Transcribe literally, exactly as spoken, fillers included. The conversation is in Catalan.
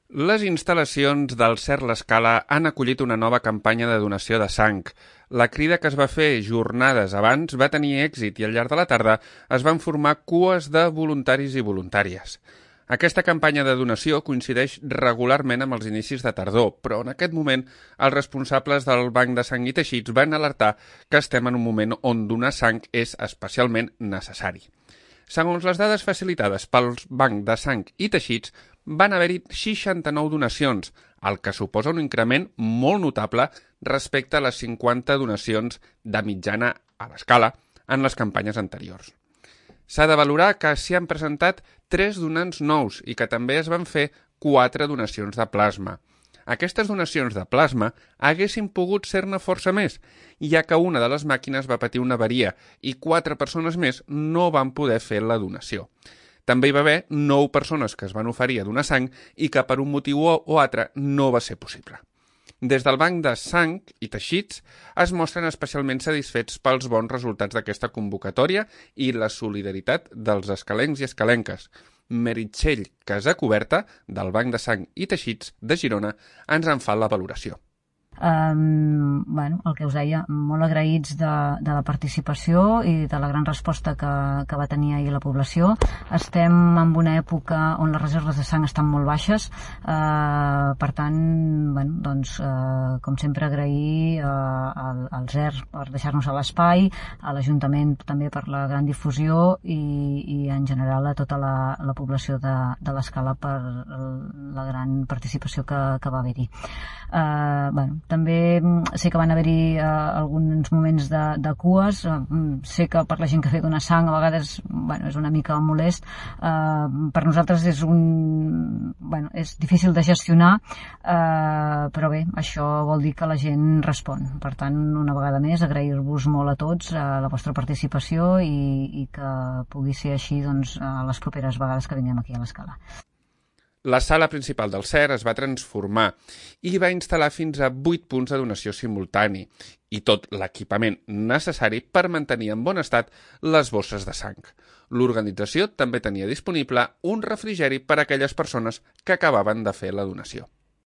Les instal·lacions del C E R L'Escala han acollit una nova campanya de donació de sang. La crida que es va fer jornades abans va tenir èxit i al llarg de la tarda es van formar cues de voluntaris i voluntàries. Aquesta campanya de donació coincideix regularment amb els inicis de tardor, però en aquest moment els responsables del Banc de Sang i Teixits van alertar que estem en un moment on donar sang és especialment necessari. Segons les dades facilitades pel Banc de Sang i Teixits, van haver-hi seixanta-nou donacions, el que suposa un increment molt notable respecte a les cinquanta donacions de mitjana a l'escala en les campanyes anteriors. S'ha de valorar que s'hi han presentat tres donants nous i que també es van fer quatre donacions de plasma. Aquestes donacions de plasma haguessin pogut ser-ne força més, ja que una de les màquines va patir una avaria i quatre persones més no van poder fer la donació. També hi va haver nou persones que es van oferir a donar sang i que per un motiu o altre no va ser possible. Des del Banc de Sang i Teixits es mostren especialment satisfets pels bons resultats d'aquesta convocatòria i la solidaritat dels escalencs i escalenques. Meritxell Casacuberta, del Banc de Sang i Teixits de Girona, ens en fa la valoració. Um, bueno, el que us deia, molt agraïts de, de la participació i de la gran resposta que, que va tenir ahir la població. Estem en una època on les reserves de sang estan molt baixes, uh, per tant, bueno, doncs, uh, com sempre agrair uh, al, al Z E R per deixar-nos a l'espai, a l'Ajuntament també per la gran difusió i, i en general a tota la, la població de, de l'Escala per la gran participació que, que va haver-hi. Uh, bueno, també sé que van haver-hi uh, alguns moments de, de cues, uh, sé que per la gent que ve donar sang a vegades bueno, és una mica molest, uh, per nosaltres és un bueno, és difícil de gestionar, uh, però bé, això vol dir que la gent respon. Per tant, una vegada més, agrair-vos molt a tots uh, la vostra participació i, i que pugui ser així doncs, a les properes vegades que vinguem aquí a l'Escala. La sala principal del C E R es va transformar i va instal·lar fins a vuit punts de donació simultani i tot l'equipament necessari per mantenir en bon estat les bosses de sang. L'organització també tenia disponible un refrigeri per a aquelles persones que acabaven de fer la donació.